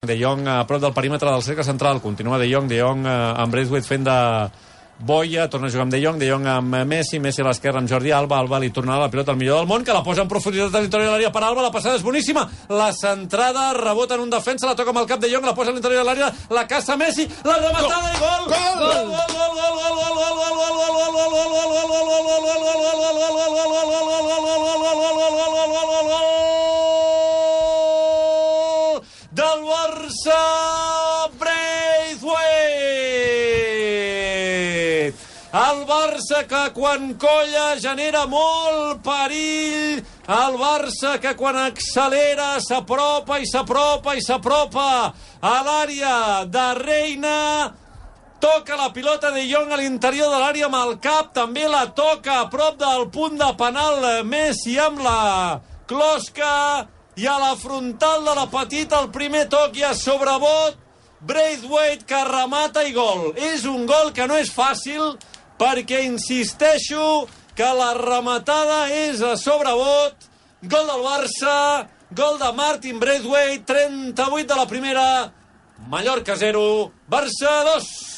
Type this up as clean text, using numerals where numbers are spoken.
De Jong a prop del perímetre del cercle central. Continua De Jong amb Braithwaite fent de boia, torna a jugar amb De Jong amb Messi a l'esquerra amb Jordi Alba li tornarà la pilota al millor del món, que la posa en profunditat a l'interior de l'àrea per Alba, la passada és boníssima, la centrada, rebota en un defensa, la toca amb el cap De Jong, la posa a l'interior de l'àrea, la caça Messi, la rematada i gol! Del Barça, Braithwaite! El Barça que quan colla genera molt perill, el Barça que quan accelera s'apropa a l'àrea de Reina, toca la pilota De Jong a l'interior de l'àrea amb el cap, també la toca a prop del punt de penal Messi amb la closca, i a la frontal de la petita el primer toc i a sobrebot Braithwaite que remata i gol. És un gol que no és fàcil perquè insisteixo que la rematada és a sobrebot. Gol del Barça, gol de Martin Braithwaite, 38 de la primera, Mallorca 0, Barça 2.